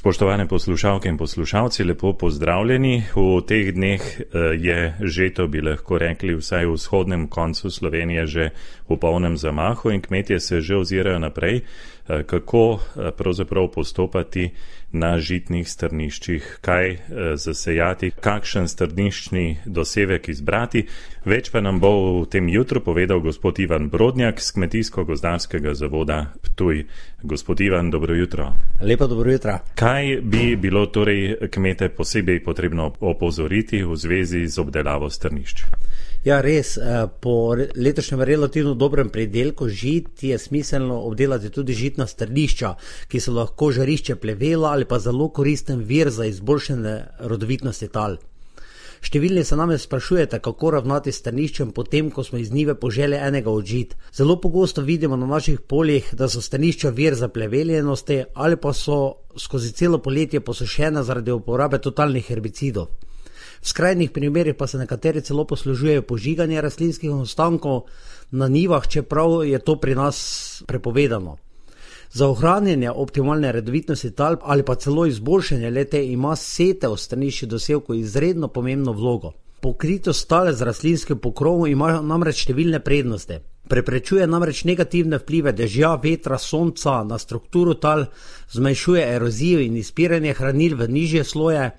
Spoštovane poslušalke in poslušalci, lepo pozdravljeni. V teh dneh je žeto, bi lahko rekli, vsaj v vzhodnem koncu Slovenije že v polnem zamahu in kmetje se že ozirajo naprej, kako pravzaprav postopati na žitnih strniščih, kaj zasejati, kakšen strniščni dosevek izbrati. Več pa nam bo v tem jutru povedal gospod Ivan Brodnjak z Kmetijsko-gozdarskega zavoda Ptuj. Gospod Ivan, dobro jutro. Lepo dobro jutro. Kaj bi bilo torej kmete posebej potrebno opozoriti v zvezi z obdelavo strnišč? Ja, res, po letošnjem relativno dobrem pridelku žit je smiselno obdelati tudi žitna strnišča, ki so lahko žarišče plevela ali pa zelo koristen vir za izboljšanje rodovitnosti tal. Številni se namreč sprašujete, kako ravnati s strniščem potem, ko smo iz njive poželi enega od žit. Zelo pogosto vidimo na naših poljih, da so strnišča vir za pleveljenosti ali pa so skozi celo poletje posušene zaradi uporabe totalnih herbicidov. V skrajnih primerih pa se nekateri celo poslužujejo požiganja rastlinskih ostankov na njivah, čeprav je to pri nas prepovedano. Za ohranjanje optimalne rodovitnosti tal ali pa celo izboljšanje le-te ima setev strniščih dosevkov izredno pomembno vlogo. Pokritost tal z raslinskim pokrovom ima namreč številne prednosti. Preprečuje namreč negativne vplive dežja, vetra, sonca na strukturo tal, zmanjšuje erozijo in izpiranje hranil v nižje sloje.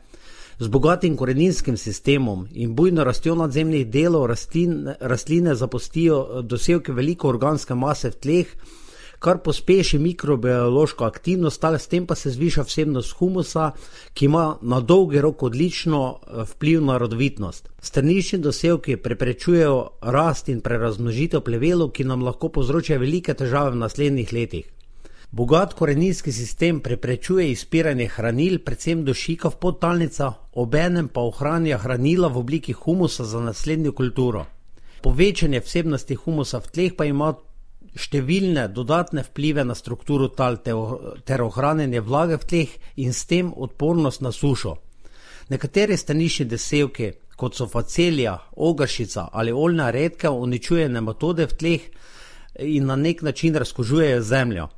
Z bogatim koreninskim sistemom in bujno rastjo nadzemnih delov rastline zapustijo dosevke veliko organske mase v tleh, kar pospeši mikrobiološko aktivnost tal, s tem pa se zviša vsebnost humusa, ki ima na dolgi rok odlično vpliv na rodovitnost. Strniščni dosevki preprečujejo rast in prerazmnožitev plevelov, ki nam lahko povzročajo velike težave v naslednjih letih. Bogat koreninski sistem preprečuje izpiranje hranil, predvsem dušika v podtalnica, obenem pa ohranja hranila v obliki humusa za naslednjo kulturo. Povečanje vsebnosti humusa v tleh pa ima številne dodatne vplive na strukturo tal ter ohranjanje vlage v tleh in s tem odpornost na sušo. Nekateri strniščni dosevki, kot so facelija, ogršica ali oljna redkev, uničujejo nematode v tleh in na nek način razkužujejo zemljo.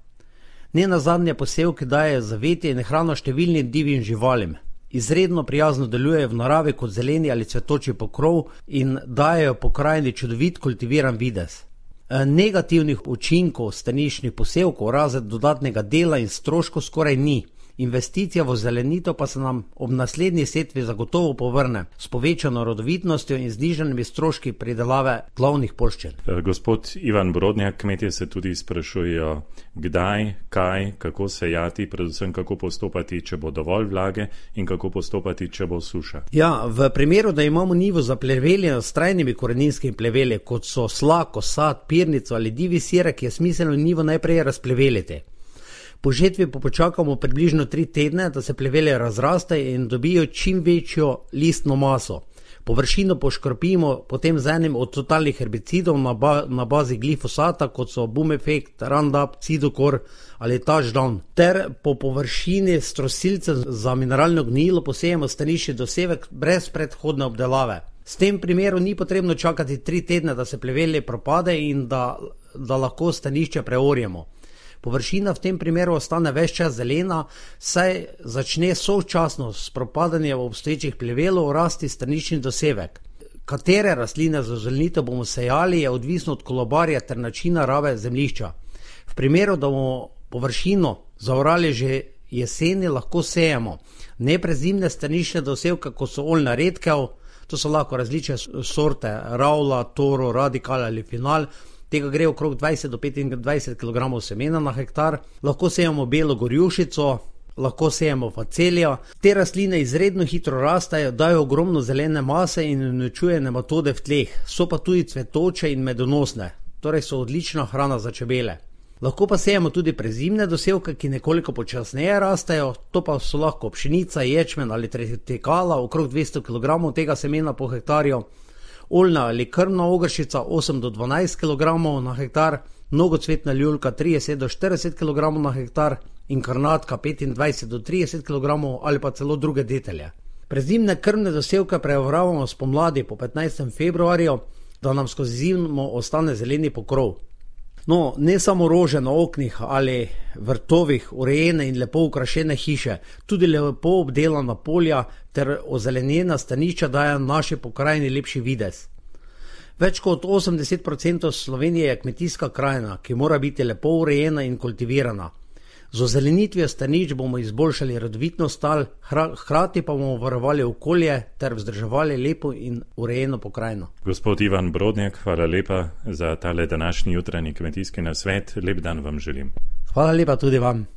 Nenazadnje posevki dajejo zavetje in hrano številnim divjim živalim. Izredno prijazno delujejo v naravi kot zeleni ali cvetoči pokrov in dajejo pokrajini čudovit kultiviran videz. Negativnih učinkov strniščnih posevkov razen dodatnega dela in stroškov skoraj ni. Investicija v zelenitev pa se nam ob naslednji setvi zagotovo povrne s povečano rodovitnostjo in znižanimi stroški pridelave glavnih poljščin. Gospod Ivan Brodnjak, kmetje se tudi sprašujejo, kdaj, kaj, kako sejati, predvsem kako postopati, če bo dovolj vlage in kako postopati, če bo suša. Ja, v primeru, da imamo njivo zapleveljeno s trajnimi koreninskimi pleveli, kot so slak, osad, pirnico ali divji sirek, je smiselno njivo najprej razpleveliti. Po žetvi pa počakamo približno 3 tedne, da se plevele razrastejo in dobijo čim večjo listno maso. Površino poškropimo potem z enim od totalnih herbicidov na bazi glifosata, kot so Bumefect, Roundup, Cidokor ali Touchdown. Ter po površini s trosilcem za mineralno gnojilo posejemo strniščni dosevek brez predhodne obdelave. S tem primeru ni potrebno čakati 3 tedne, da se plevele propade in da lahko strnišče preorjemo. Površina v tem primeru ostane ves čas zelena, saj začne sočasno s propadanjem obstoječih plevelov rasti strniščni dosevek. Katere rastline za zelenitev bomo sejali, je odvisno od kolobarja ter načina rabe zemljišča. V primeru, da bomo površino zaorali že jeseni, lahko sejemo neprezimne strniščne dosevke, kot so oljna redkev, to so lahko različne sorte Raula, Toro, Radikal ali Final. Tega gre okrog 20 do 25 kg semena na hektar. Lahko sejemo belo gorjušico, lahko sejemo facelijo. Te rastline izredno hitro rastejo, dajo ogromno zelene mase in uničujejo nematode v tleh. So pa tudi cvetoče in medonosne, torej so odlična hrana za čebele. Lahko pa sejemo tudi prezimne dosevke, ki nekoliko počasneje rastejo, to pa so lahko pšenica, ječmen ali tritikala, okrog 200 kg tega semena po hektarju. Oljna ali krmna ogršica 8 do 12 kg na hektar, mnogocvetna ljuljka 30 do 40 kg na hektar in karnatka 25 do 30 kg ali pa celo druge detelje. Prezimne krmne dosevke preoravamo spomladi po 15. februarju, da nam skozi zimo ostane zeleni pokrov. No, ne samo rože na oknih ali vrtovih, urejene in lepo ukrašene hiše, tudi lepo obdelana polja ter ozelenjena stanišča dajo naši pokrajini lepši videz. Več kot 80% Slovenije je kmetijska krajina, ki mora biti lepo urejena in kultivirana. Z ozelenitvijo stanišč bomo izboljšali rodovitnost tal, hkrati pa bomo varovali okolje ter vzdrževali lepo in urejeno pokrajino. Gospod Ivan Brodnjak, hvala lepa za tale današnji jutranji kmetijski nasvet. Lep dan vam želim. Hvala lepa tudi vam.